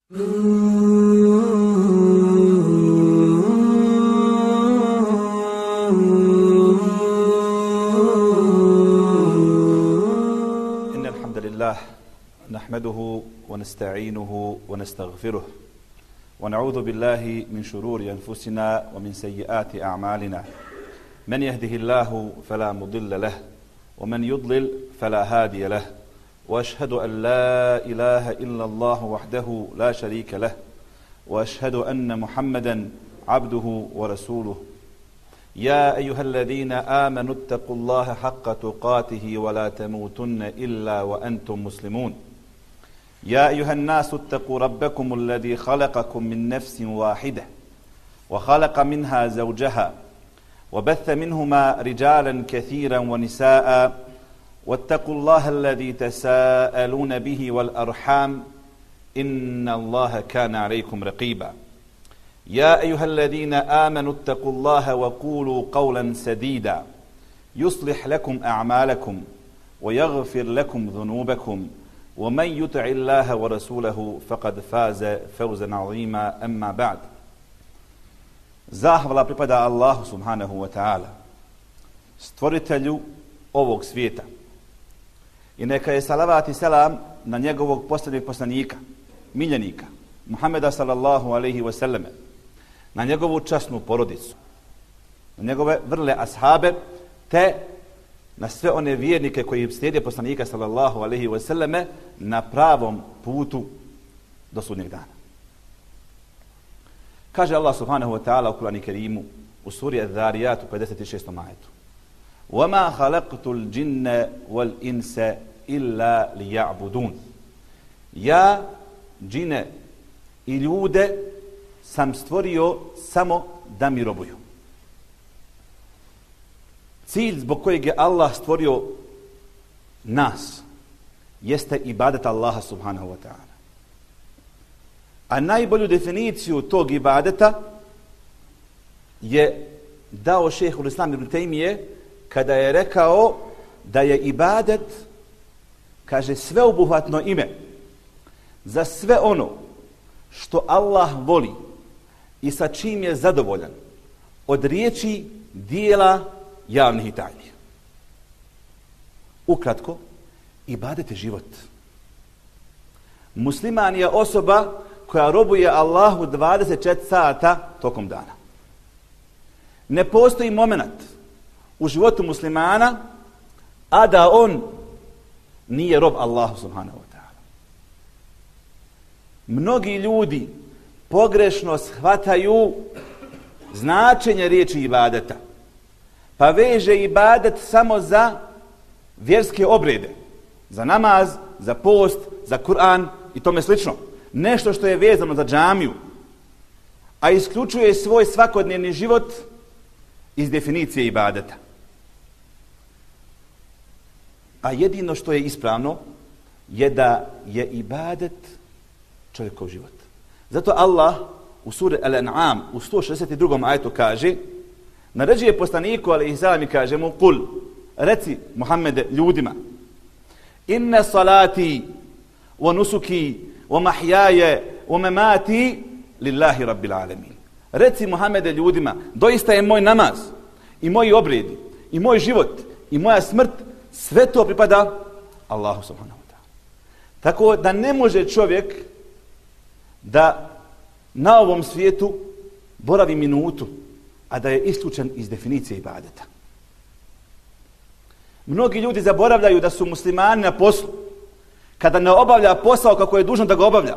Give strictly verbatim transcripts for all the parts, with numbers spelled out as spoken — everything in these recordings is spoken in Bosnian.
إن الحمد لله نحمده ونستعينه ونستغفره ونعوذ بالله من شرور أنفسنا ومن سيئات أعمالنا من يهده الله فلا مضل له ومن يضلل فلا هادي له وأشهد أن لا إله إلا الله وحده لا شريك له وأشهد أن محمدا عبده ورسوله يا أيها الذين آمنوا اتقوا الله حق تقاته ولا تموتن إلا وأنتم مسلمون يا أيها الناس اتقوا ربكم الذي خلقكم من نفس واحدة وخلق منها زوجها وبث منهما رجالا كثيرا ونساء واتقوا الله الذي تساءلون به والأرحام إن الله كان عليكم رقيبا يا أيها الذين آمنوا اتقوا الله وقولوا قولا سديدا يصلح لكم أعمالكم ويغفر لكم ذنوبكم ومن يطع الله ورسوله فقد فاز فوزا عظيما أما بعد. Zahvala pripada Allahu subhanahu wa ta'ala, stvoritelju ovog svijeta. I neka je salavat i selam na njegovog posljednjeg poslanika, miljenika, Muhammeda sallallahu alaihi wa sallam, na njegovu časnu porodicu, na njegove vrle ashabe, te na sve one vjernike koji slijede poslanika sallallahu alaihi wa sallam na pravom putu do sudnjeg dana. Kaže Allah subhanahu wa ta'ala u Kur'anu Kerimu u suri Az-Zariyat u pedeset šestom ajetu: وَمَا خَلَقْتُ الْجِنَّ وَالْإِنْسَ إِلَّا لِيَعْبُدُونَ. Ja, džine i ljude sam stvorio samo da mi robuju. Cilj zbog kojeg je Allah stvorio nas jeste ibadet Allaha subhanahu wa ta'ala. A najbolju definiciju tog ibadeta je dao šejhul Islam ibn Tejmije kada je rekao da je ibadet, kaže, sveobuhvatno ime za sve ono što Allah voli i sa čim je zadovoljan od riječi, dijela, javnih i tajnih. Ukratko, ibadet je život. Musliman je osoba koja robuje Allahu dvadeset četiri sata tokom dana. Ne postoji moment u životu muslimana a da on nije rob Allahu subhanahu wa ta'ala. Mnogi ljudi pogrešno shvataju značenje riječi ibadeta, pa veže ibadet samo za vjerske obrede, za namaz, za post, za Kur'an i tome slično. Nešto što je vezano za džamiju, a isključuje svoj svakodnevni život iz definicije ibadeta. A jedino što je ispravno je da je ibadet čovjekov život. Zato Allah u suri Al-An'am u sto šezdeset drugom ajetu kaže, naređuje poslaniku alejhi selam i kaže mu: "Kul, reci Muhammede ljudima, inna salati wa nusuki wa mahyaaya wa mamati lillahi rabbil alamin." Reci Muhammede ljudima, doista je moj namaz i moji obredi i moj život i moja smrt, sve to pripada Allahu subhanahu wa ta'ala. Tako da ne može čovjek da na ovom svijetu boravi minutu, a da je isključen iz definicije ibadeta. Mnogi ljudi zaboravljaju da su muslimani na poslu, kada ne obavlja posao kako je dužan da ga obavlja,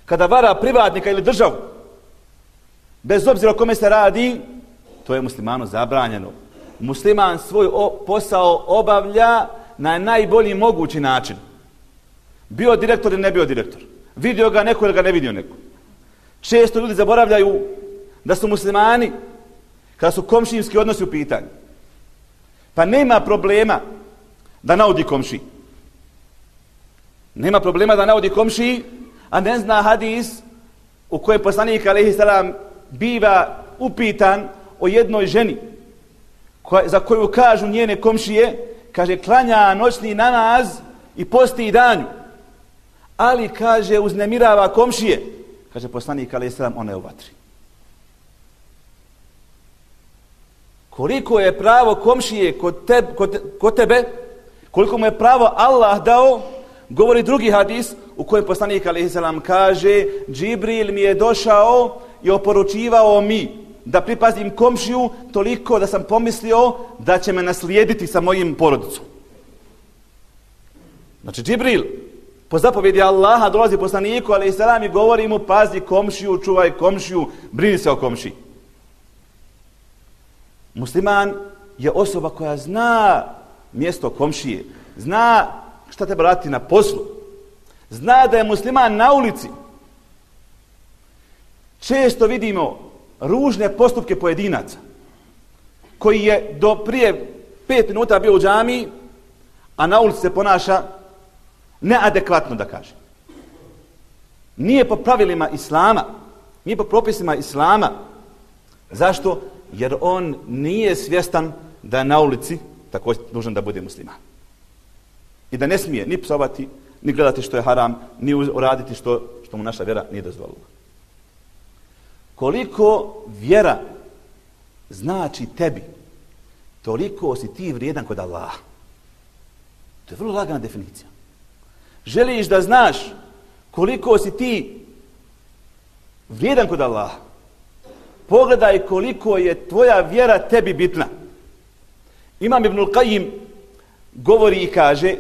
kada vara privatnika ili državu, bez obzira o kome se radi, to je muslimanu zabranjeno. Musliman svoj posao obavlja na najbolji mogući način. Bio direktor ili ne bio direktor. Vidio ga neko ili ga ne vidio neko. Često ljudi zaboravljaju da su muslimani, kada su komšijski odnosi u pitanju, pa nema problema da naudi komšiji. Nema problema da naudi komšiji, a ne zna hadis u kojoj poslanik alejhi selam biva upitan o jednoj ženi koja, za koju kažu njene komšije, kaže, klanja noćni namaz i posti danju, ali, kaže, uznemirava komšije. Kaže poslanik alejhi selam, ona je u vatri. Koliko je pravo komšije kod, te, kod, kod tebe, koliko mu je pravo Allah dao, govori drugi hadis u kojem poslanik alejhi selam kaže: Džibril mi je došao i oporučivao mi da pripazim komšiju toliko da sam pomislio da će me naslijediti sa mojim porodicom. Znači Džibril po zapovjedi Allaha dolazi poslaniku alejhi selam i govori mu: pazi komšiju, čuvaj komšiju, brini se o komšiji. Musliman je osoba koja zna mjesto komšije, zna šta treba raditi na poslu, zna da je musliman na ulici. Često vidimo ružne postupke pojedinaca koji je do prije pet minuta bio u džamiji, a na ulici se ponaša neadekvatno, da kaže. Nije po pravilima Islama, nije po propisima Islama. Zašto? Jer on nije svjestan da je na ulici također dužan da bude musliman. I da ne smije ni psovati, ni gledati što je haram, ni uraditi što, što mu naša vjera nije dozvolila. Koliko vjera znači tebi, toliko si ti vrijedan kod Allaha. To je vrlo lagana definicija. Želiš da znaš koliko si ti vrijedan kod Allaha, pogledaj koliko je tvoja vjera tebi bitna. Imam Ibnul Qajim govori i kaže: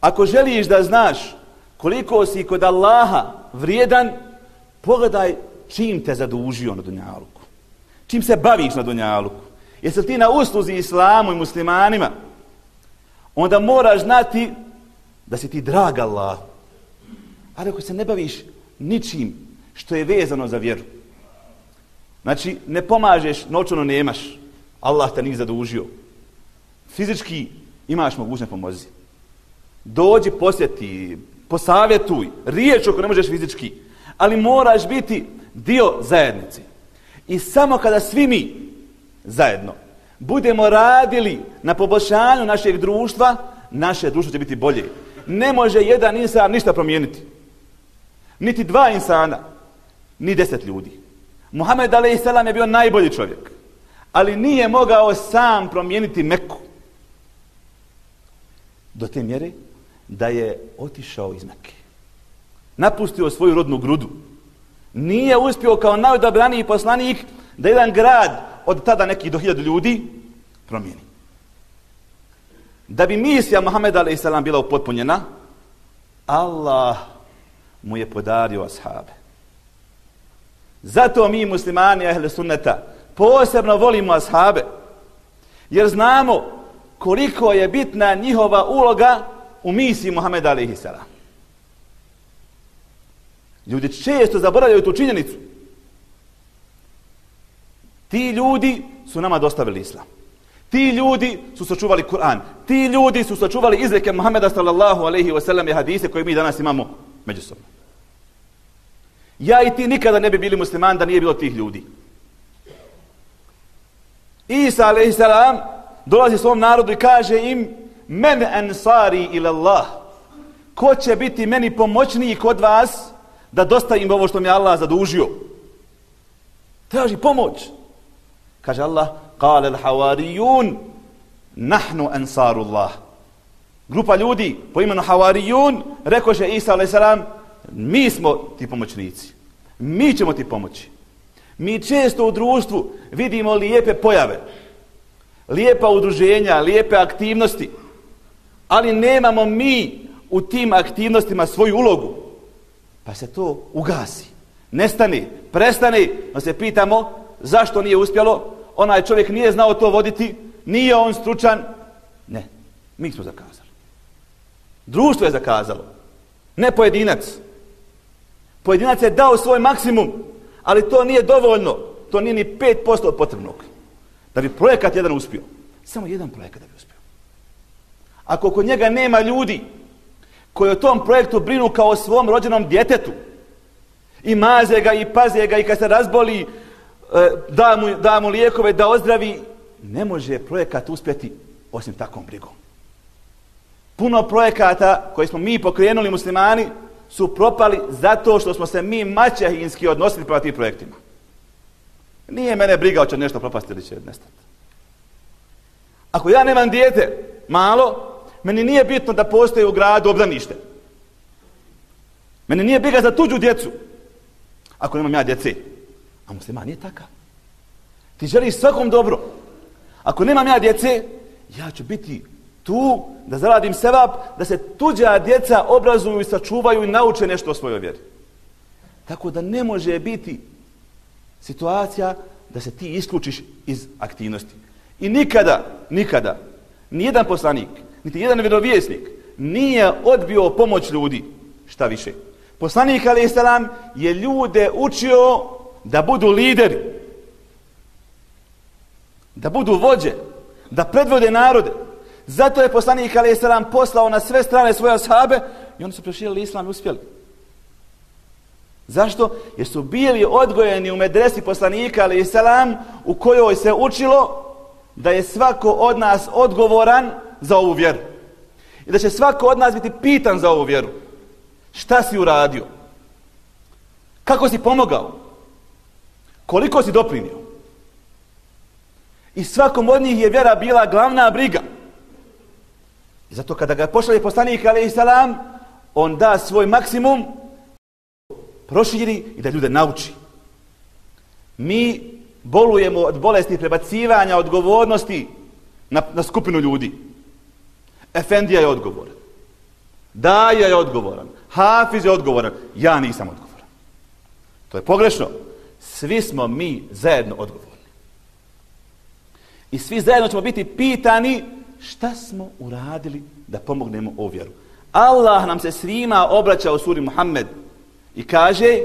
ako želiš da znaš koliko si kod Allaha vrijedan, pogledaj čim te zadužio na dunjaluku. Čim se baviš na dunjaluku. Jesi li ti na usluzi islamu i muslimanima? Onda moraš znati da si ti drag Allah. Ali ako se ne baviš ničim što je vezano za vjeru, znači ne pomažeš, novčano nemaš, Allah te nije zadužio. Fizički imaš mogućnost pomozi. Dođi, posjeti, posavjetuj, riječ ako ne možeš fizički, ali moraš biti dio zajednice. I samo kada svi mi zajedno budemo radili na poboljšanju našeg društva, naše društvo će biti bolje. Ne može jedan insan ništa promijeniti. Niti dva insana, ni deset ljudi. Muhammed alejhi selam je bio najbolji čovjek, ali nije mogao sam promijeniti Meku. Do te mjere da je otišao iz Mekke. Napustio svoju rodnu grudu. Nije uspio kao najodabraniji poslanik da jedan grad od tada nekih do hiljadu ljudi promijeni. Da bi misija Muhammeda alejhi selam bila upotpunjena, Allah mu je podario ashabe. Zato mi muslimani ahle sunneta posebno volimo ashabe, jer znamo koliko je bitna njihova uloga u misiji Muhammeda alejhi selam. Ljudi često zaboravljaju tu činjenicu. Ti ljudi su nama dostavili islam. Ti ljudi su sačuvali Kur'an. Ti ljudi su sačuvali izreke Muhammeda sallallahu alejhi ve sellem i hadise koje mi danas imamo međusobno. Ja i ti nikada ne bi bili musliman da nije bilo tih ljudi. Isa alejhi selam dolazi svom narodu i kaže im: men ansari ila Allah. Ko će biti meni pomoćniji kod vas da dostavim ovo što mi Allah zadužio? Traži pomoć. Kaže Allah: qala al-hawariyun nahnu ansarullah. Grupa ljudi po imenu Havarijun rekoše Isa alejhi selam: mi smo ti pomoćnici. Mi ćemo ti pomoći. Mi često u društvu vidimo lijepe pojave, lijepa udruženja, lijepe aktivnosti, ali nemamo mi u tim aktivnostima svoju ulogu. Pa se to ugasi, nestane, prestane, pa se pitamo zašto nije uspjelo, onaj čovjek nije znao to voditi, nije on stručan. Ne, mi smo zakazali. Društvo je zakazalo, ne pojedinac. Pojedinac je dao svoj maksimum, ali to nije dovoljno, to nije ni pet posto od potrebnog. Da bi projekat jedan uspio, samo jedan projekat da bi uspio. Ako kod njega nema ljudi koji o tom projektu brinu kao o svom rođenom djetetu, i maze ga, i paze ga, i kad se razboli, da mu, da mu lijekove, da ozdravi, ne može projekat uspjeti osim takvom brigom. Puno projekata koje smo mi pokrenuli muslimani su propali zato što smo se mi maćehinski odnosili prema tim projektima. Nije mene briga hoće nešto propasti ili će nestati. Ako ja nemam dijete malo, meni nije bitno da postoji u gradu obdanište. Meni nije briga za tuđu djecu. Ako nemam ja djece. A musliman nije takav. Ti želiš svakom dobro. Ako nemam ja djece, ja ću biti tu da zaradim sevap, da se tuđa djeca obrazuju i sačuvaju i nauče nešto o svojoj vjeri. Tako da ne može biti situacija da se ti isključiš iz aktivnosti. I nikada, nikada, nijedan poslanik, niti jedan vjerovjesnik nije odbio pomoć ljudi. Šta više? Poslanik alejhi selam je ljude učio da budu lideri, da budu vođe, da predvode narode. Zato je poslanik alejhi selam poslao na sve strane svoje ashabe i oni su proširili islam i uspjeli. Zašto? Jer su bili odgojeni u medresi poslanika alejhi selam u kojoj se učilo da je svako od nas odgovoran za ovu vjeru. I da će svako od nas biti pitan za ovu vjeru. Šta si uradio? Kako si pomogao? Koliko si doprinio? I svakom od njih je vjera bila glavna briga. I zato kada ga pošalje poslanik alejhi selam, on da svoj maksimum, proširi i da ljude nauči. Mi bolujemo od bolesti prebacivanja odgovornosti na, na skupinu ljudi. Efendija je odgovoran. Daja je odgovoran. Hafiz je odgovoran. Ja nisam odgovoran. To je pogrešno. Svi smo mi zajedno odgovorni. I svi zajedno ćemo biti pitani šta smo uradili da pomognemo ovu vjeru. Allah nam se svima obraća u suri Muhammed i kaže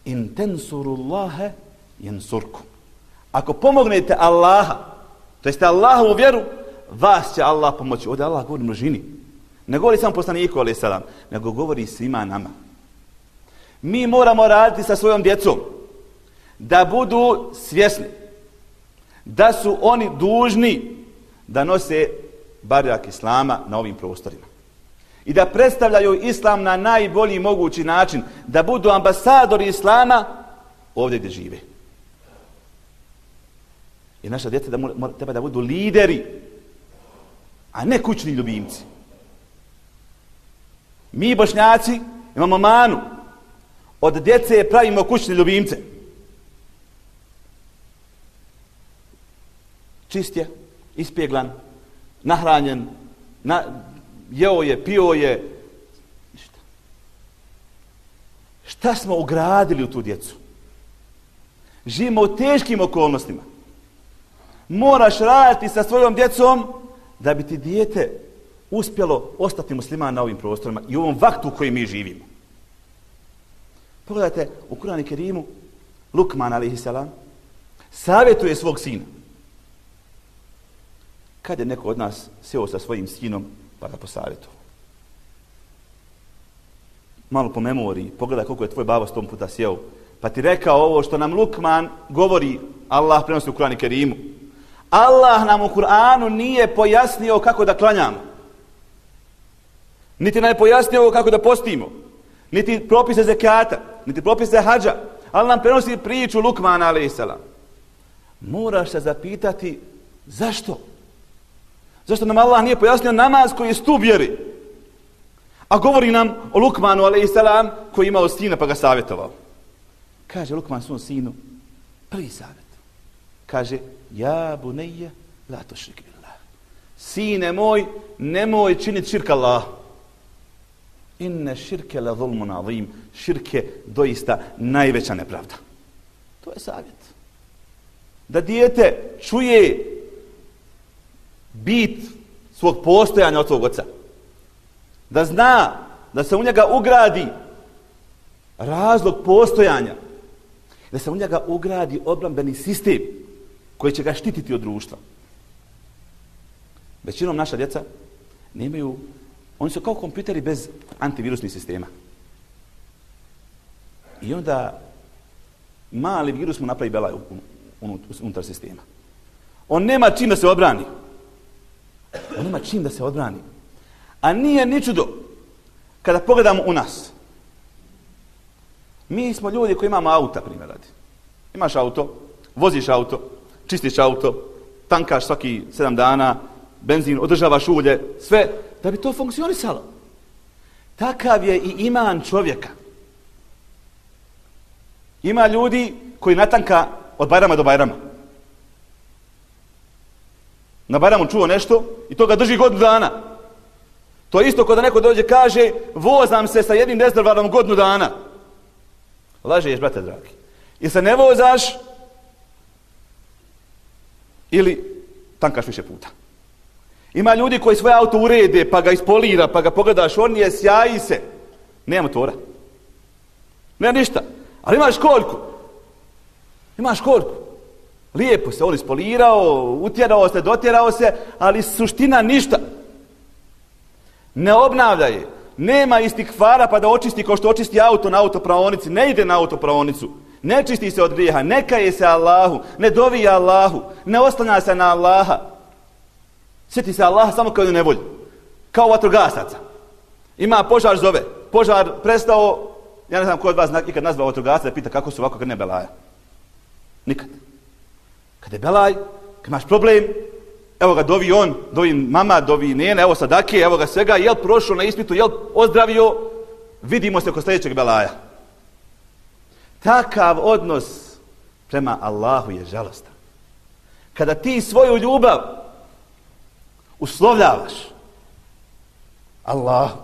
in tensurullahe jensurkum. Ako pomognete Allaha, to jeste Allahovu vjeru, vas će Allah pomoći. Ovdje Allah govori množini. Ne govori samo poslaniku alejhi selam, nego govori svima nama. Mi moramo raditi sa svojom djecom da budu svjesni da su oni dužni da nose barjak Islama na ovim prostorima. I da predstavljaju Islam na najbolji mogući način, da budu ambasadori Islama ovdje gdje žive. I naša djeca da mora, treba da budu lideri, a ne kućni ljubimci. Mi Bošnjaci imamo manu. Od djece pravimo kućne ljubimce. Čist je, ispjeglan, nahranjen, na, jeo je, pio je. Ništa. Šta smo ugradili u tu djecu? Živimo u teškim okolnostima. Moraš raditi sa svojom djecom da bi ti dijete uspjelo ostati musliman na ovim prostorima i u ovom vaktu u kojem mi živimo. Pogledajte, u Kur'anu Kerimu Lukman alejhi selam savjetuje svog sina. Kad je neko od nas sjeo sa svojim sinom pa ga posavjetovao? Malo po memoriji, pogledaj koliko je tvoj babo sto puta sjeo, pa ti rekao ovo što nam Lukman govori, Allah prenosi u Kur'anu Kerimu. Allah nam u Kur'anu nije pojasnio kako da klanjamo. Niti nam je pojasnio kako da postimo. Niti propise zekata, niti propise hadža. Ali nam prenosi priču Lukmana alejhi selam. Moraš se zapitati zašto? Zašto nam Allah nije pojasnio namaz koji je stup vjeri? A govori nam o Lukmanu alejhi selam koji je imao sina pa ga savjetovao. Kaže Lukman svom sinu, prvi savjet. Kaže, ja bunejje, la tušrik billah. Sine moj, nemoj činiti širk Allah. Inne širke la zulmun azim. Širk je doista najveća nepravda. To je savjet. Da dijete čuje bit svog postojanja od svog oca. Da zna da se u njega ugradi razlog postojanja. Da se u njega ugradi obrambeni sistem koji će ga štititi od društva. Većinom naša djeca nemaju, oni su kao kompjuteri bez antivirusnih sistema. I onda mali virus mu napravi belaj unutar sistema. On nema čim da se odbrani. On nema čim da se odbrani. A nije ni čudo kada pogledamo u nas, mi smo ljudi koji imamo auta, primjer radi. Imaš auto, voziš auto, čistiš auto, tankaš svaki sedam dana, benzin, održavaš ulje, sve, da bi to funkcionisalo. Takav je i iman čovjeka. Ima ljudi koji natanka od Bajrama do Bajrama. Na Bajramu čuo nešto i to ga drži godinu dana. To je isto kao da neko dođe kaže vozam se sa jednim rezervarom godinu dana. Lažeš, brate dragi. Ili se ne vozaš ili tankaš više puta. Ima ljudi koji svoje auto urede, pa ga ispolira, pa ga pogledaš, on je sjaji se. Nema motora. Nema ništa. Ali ima školjku. Ima školjku. Lijepo se on ispolirao, utjerao se, dotjerao se, ali suština ništa. Ne obnavlja je. Nema istikfara pa da očisti kao što očisti auto na autopraonici. Ne ide na autopraonicu. Ne čisti se od grijeha. Ne kaje se Allahu. Ne dovi Allahu. Ne oslanja se na Allaha. Sjeti se Allaha samo kao nevolju. Kao vatrogasaca. Ima požar zove. Požar prestao. Ja ne znam ko od vas ikad nazvao vatrogasca da pita kako su ovako kad ne belaja. Nikad. Kad je belaj, kad imaš problem, evo ga dovi on, dovi mama, dovi nene, evo sadake, evo ga svega, jel prošao na ispitu, jel ozdravio, vidimo se kod sljedećeg belaja. Takav odnos prema Allahu je žalostan. Kada ti svoju ljubav uslovljavaš Allahu,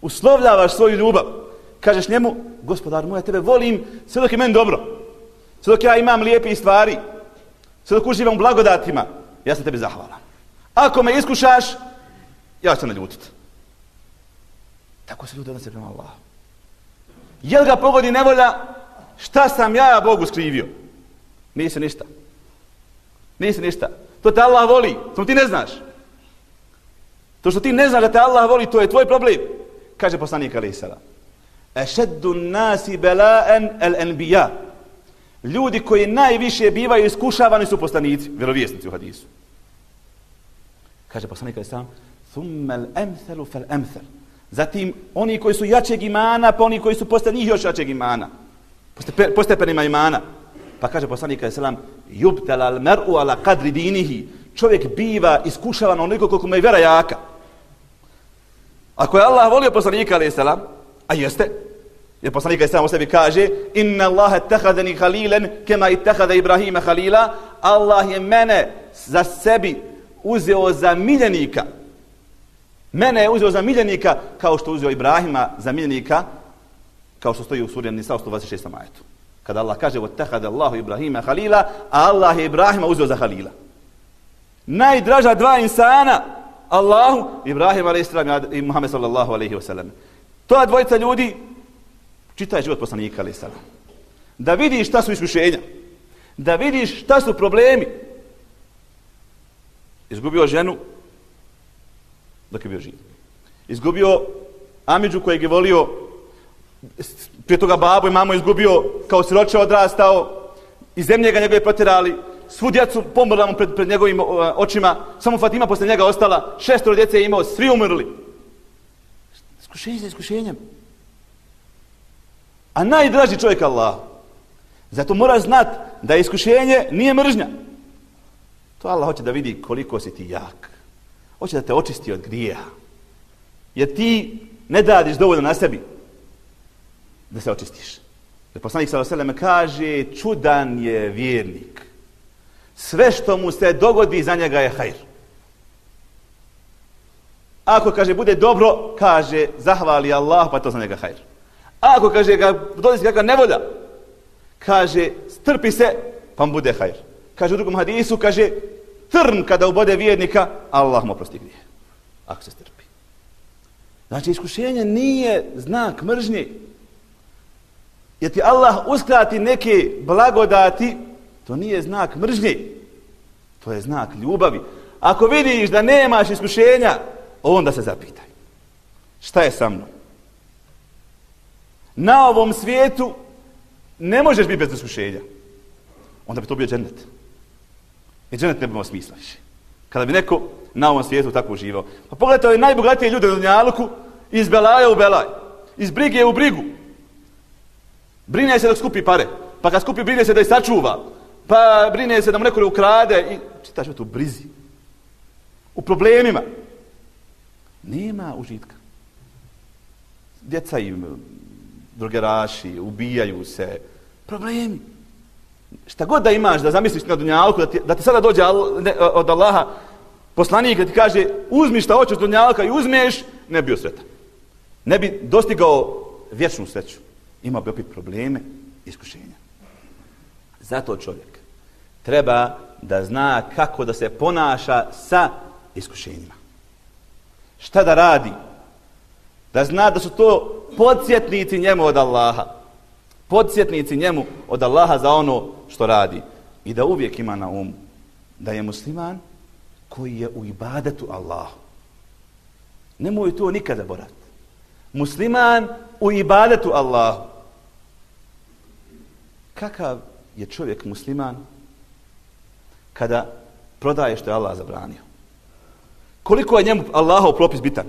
uslovljavaš svoju ljubav, kažeš njemu, gospodar moj, ja tebe volim sve dok je meni dobro, sve dok ja imam lijepe stvari, sve dok uživam u blagodatima, ja sam tebi zahvalan. Ako me iskušaš, ja ću se naljutiti. Tako se ljudi odnose prema Allahu. Jel ga pogodi nevolja, šta sam ja Bogu skrivio? Nisi ništa. Nisi ništa. To te Allah voli, to ti ne znaš. To što ti ne znaš da te Allah voli, to je tvoj problem. Kaže poslanik alejhi selam. Ešeddu nasi bela'en el enbija. Ljudi koji najviše bivaju iskušavani su poslanici, vjerovjesnici u hadisu. Kaže poslanik alejhi selam, thumma al-amthalu fal-amthal. Zatim oni koji su jačeg imana, pa oni koji su posle njih još jačeg imana. Po stepenima imana. Pa kaže poslanik alejhi selam, yubtala al-mar'u ala qadri dinihi. Čovjek biva iskušavan onoliko koliko mu je vjera jaka. Ako je Allah volio poslanika alejhi selam, a jeste, jer poslanik alejhi selam o sebi kaže: "Inna Allaha ittakhadani khalilan kama ittakhadha Ibrahima khalila." Allah je mene za sebi uzeo za miljenika. Mene je uzeo za miljenika kao što uzeo Ibrahima za miljenika, kao što stoji u suri An-Nisa sto dvadeset šestom ajetu. Kada Allah kaže: "Wattakhadha Allahu Ibrahima khalila", a Allah je Ibrahima uzeo za halila. Najdraža dva insana Allahu, Ibrahim alejhi selam i Muhammed sallallahu alejhi ve sellem. To dvojica ljudi čitaj život poslanika alejhi selam. Da vidiš šta su iskušenja. Da vidiš šta su problemi. Izgubio ženu dok je bio živ. Izgubio amidžu kojeg je volio, prije toga babu i mamu izgubio, kao siroče odrastao, iz zemlje ga njegove protjerali, svu djecu pomrla mu pred, pred njegovim očima, samo Fatima posle njega ostala, šestoro djece je imao, svi umrli. Iskušenje za iskušenjem. A najdraži čovjek Allah. Zato mora znat da iskušenje nije mržnja. To Allah hoće da vidi koliko si ti jak. Hoće da te očisti od grijeha. Jer ti ne radiš dovoljno na sebi da se očistiš. Jer poslanik sallallahu alejhi ve sellem kaže: čudan je vjernik. Sve što mu se dogodi za njega je hajr. Ako kaže bude dobro, kaže zahvali Allah, pa to za njega hajr. Ako kaže ga dodesi kakva nevolja, kaže strpi se, pa mu bude hajr. Kaže u drugom hadisu, kaže trn kada ubode vjernika, Allah mu oprosti grije. Ako se strpi. Znači iskušenje nije znak mržnje. Jer ti Allah uskrati neke blagodati, to nije znak mržnje. To je znak ljubavi. Ako vidiš da nemaš iskušenja, onda se zapitaj. Šta je sa mnom? Na ovom svijetu ne možeš biti bez iskušenja. Onda bi to bio džennet. I džennet ne bi imao smisla više. Kada bi neko na ovom svijetu tako uživao. Pa pogledajte ove najbogatije ljude na dunjaluku Iz belaja u belaj. Iz brige u brigu. Brine se dok skupi pare. Pa kad skupi, brine se da ih sačuva. Pa brine se da mu neko ne ukrade. I čitaš tu brizi. U problemima. Nema užitka. Djeca im drogeraši, ubijaju se. Problemi. Šta god da imaš, da zamisliš na dunjalku, da ti, da ti sada dođe od Allaha poslanik da ti kaže uzmi šta hoćeš od dunjalka i uzmeš, ne bi bio sretan. Ne bi dostigao vječnu sreću. Imao bi opet probleme, iskušenja. Zato čovjek treba da zna kako da se ponaša sa iskušenjima. Šta da radi? Da zna da su to podsjetnici njemu od Allaha. Podsjetnici njemu od Allaha za ono što radi. I da uvijek ima na umu da je musliman koji je u ibadetu Allahu. Nemoj to nikada zaboraviti. Musliman u ibadetu Allahu. Kakav je čovjek musliman kada prodaje što je Allah zabranio? Koliko je njemu Allahov propis bitan?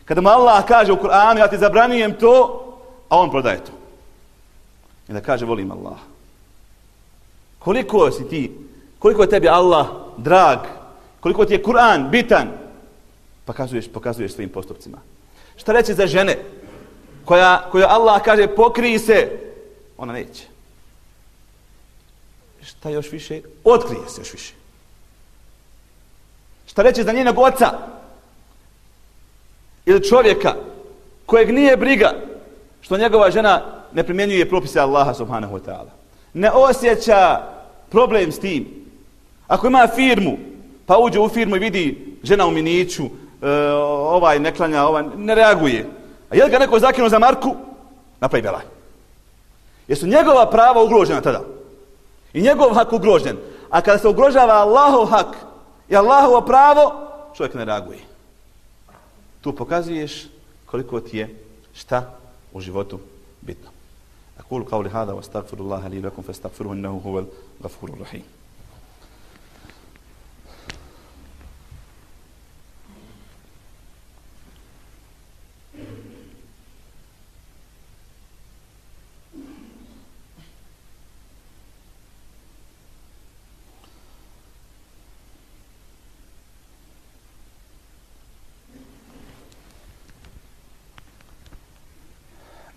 Kada mu Allah kaže u Kur'anu ja ti zabranujem to, a on prodaje to. I da kaže volim Allah. Koliko si ti, koliko je tebi Allah drag, koliko ti je Kur'an bitan, pokazuješ, pokazuješ svojim postupcima. Šta reći za žene koja, koja Allah kaže pokrij se, ona neće. Šta još više? Otkrije se još više. Šta reći za njenog oca ili čovjeka kojeg nije briga što njegova žena ne primjenjuje propise Allaha subhanahu wa ta'ala. Ne osjeća problem s tim. Ako ima firmu, pa uđe u firmu i vidi žena u miniću, e, ovaj ne klanja, ovaj ne reaguje. A je li ga neko zakinuo za marku? Napravi belaj. Jesu njegova prava ugrožena tada? I njegov hak ugrožen. A kada se ugrožava Allahov hak i Allahovo pravo, čovjek ne reaguje. Tu pokazuješ koliko ti je šta u životu bitno. أقول قولي هذا واستغفر الله لي ولكم فاستغفروه إنه هو الغفور الرحيم.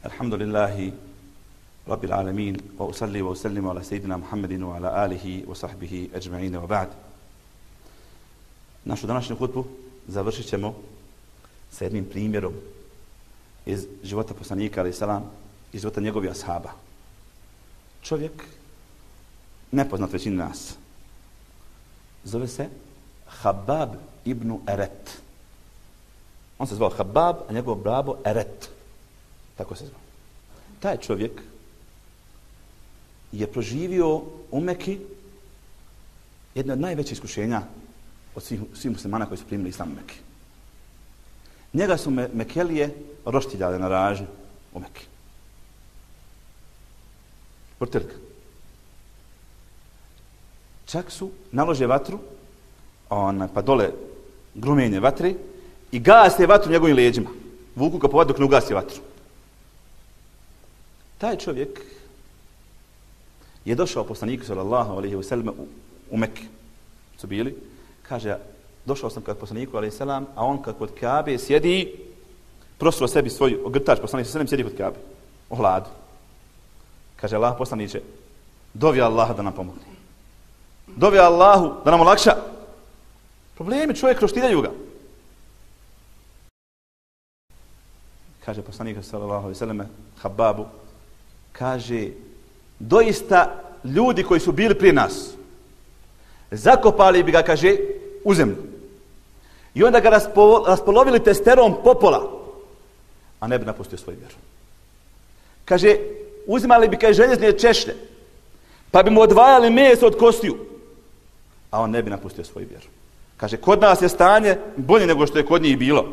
الحمد لله رب العالمين وأصلي وأسلم على سيدنا محمد وعلى آله وصحبه أجمعين وبعد. Našu današnju hutbu završit ćemo sa jednim primjerom iz života poslanika alejhi selam, iz života njegovih ashaba. Čovjek nepoznat većini nas. Zove se Habab ibn Eret. On se zvao Habab, a njegov babo Eret. Tako se zvao. Taj čovjek je proživio u Meki jedno od najvećih iskušenja od svih, svih muslimana koji su primili islam u Meki. Njega su me, Mekelije roštiljale na ražnju u Meki. Vrtilka. Čak su nalože vatru, on, pa dole grumenje vatre i gase vatru njegovim leđima. Vuku ga po vadu dok ne ugasi vatru. Taj čovjek je došao poslaniku sallallahu alejhi ve sellem u, u Mekke. Su bili, kaže, došao sam kod poslaniku alejhi selam, a on kad kod Kabe sjedi, prosuo sebi svoj ogrtač, poslanik sallallahu sjedi kod Kabe, u hladu. Kaže Allah poslaniče, dovi Allaha da nam pomogne. Dovi Allahu da nam olakša. Problemi čovjek roštiljaju ga. Kaže poslanik sallallahu alejhi ve sellem Hababu, kaže, doista ljudi koji su bili prije nas zakopali bi ga, kaže, u zemlju. I onda ga raspo, raspolovili testerom popola, a ne bi napustio svoju vjeru. Kaže, uzimali bi, kaže, željezne češlje, pa bi mu odvajali meso od kostiju, a on ne bi napustio svoju vjeru. Kaže, kod nas je stanje bolje nego što je kod njih bilo.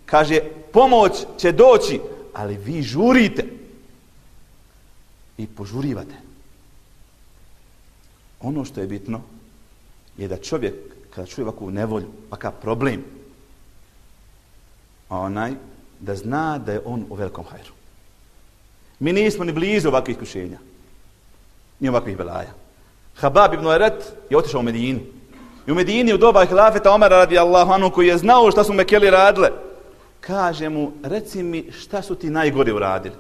Kaže, pomoć će doći, ali vi žurite i požurivate. Ono što je bitno je da čovjek, kada čuje ovakvu nevolju, ovakav problem, onaj da zna da je on u velikom hajru. Mi nismo ni blizu ovakvih iskušenja, ni ovakvih belaja. Habab ibn Eret je otišao u Medinu. I u Medini u doba hilafeta Omara radijallahu anhu, koji je znao šta su Mekeli radile, kaže mu, reci mi šta su ti najgore uradili?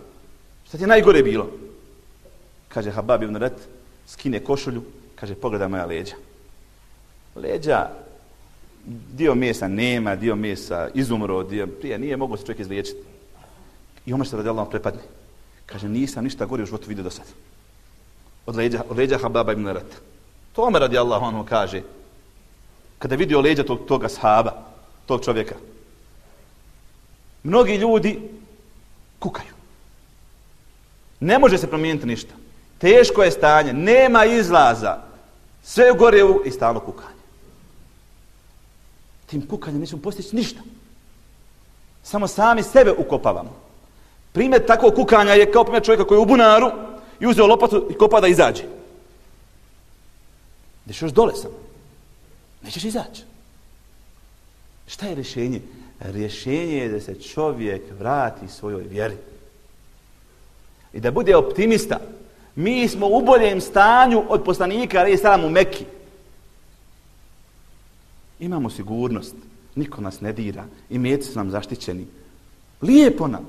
Šta ti je najgore bilo? Kaže Habab ibn Eret, skine košulju, kaže, pogledaj moja leđa. Leđa, dio mesa nema, dio mesa izumro, dio prije nije mogao se čovjek izliječiti. I Omer se radijallahu anhu prepadne. Kaže, nisam ništa gore u životu vidio do sada. Od leđa, od leđa Hababa ibn Ereta. To Omer radijallahu anhu kaže, kada je vidio leđa tog, toga sahaba, tog čovjeka, mnogi ljudi kukaju. Ne može se promijeniti ništa. Teško je stanje, nema izlaza. Sve gore u i stalno kukanje. Tim kukanjem nećemo postići ništa. Samo sami sebe ukopavamo. Primjer takvog kukanja je kao primjer čovjeka koji je u bunaru i uzeo lopatu i kopa da izađe. Gdješ još dole sam. Nećeš izaći. Šta je rješenje? Rješenje je da se čovjek vrati svojoj vjeri. I da bude optimista. Mi smo u boljem stanju od poslanika alejhi selam u Mekki. Imamo sigurnost. Niko nas ne dira. Imeci su nam zaštićeni. Lijepo nam.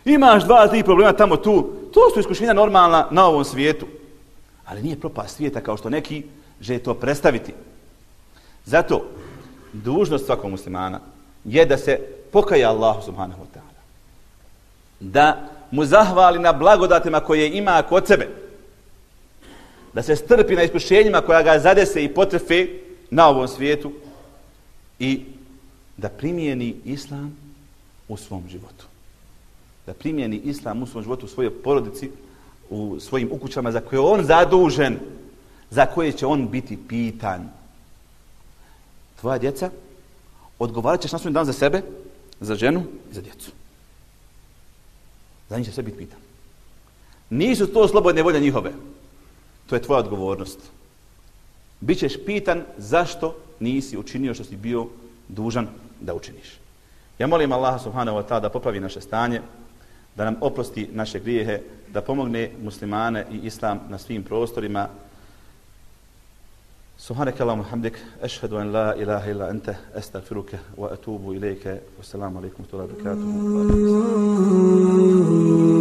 Imaš dva, tri problema tamo tu. To su iskušenja normalna na ovom svijetu. Ali nije propast svijeta kao što neki žele to predstaviti. Zato dužnost svakog muslimana je da se pokaje Allahu subhanahu wa ta'ala. Da mu zahvali na blagodatima koje ima kod sebe. Da se strpi na iskušenjima koja ga zadese i potrefe na ovom svijetu i da primijeni islam u svom životu. Da primijeni islam u svom životu, u svojoj porodici, u svojim ukućama za koje je on zadužen, za koje će on biti pitan. Tvoja djeca, odgovarat ćeš na svoj dan za sebe, za ženu i za djecu. Za njih će sve biti pitan. Nisu to slobodne volje njihove. To je tvoja odgovornost. Bićeš pitan zašto nisi učinio što si bio dužan da učiniš. Ja molim Allaha subhanahu wa ta'ala da popravi naše stanje, da nam oprosti naše grijehe, da pomogne muslimane i islam na svim prostorima. Subhanaka Allahumma hamdik, ashhadu an la ilaha illa anta, astaghfiruka wa atubu ilayka. Wassalamu alaikum wa rahmatullahi wa barakatuh.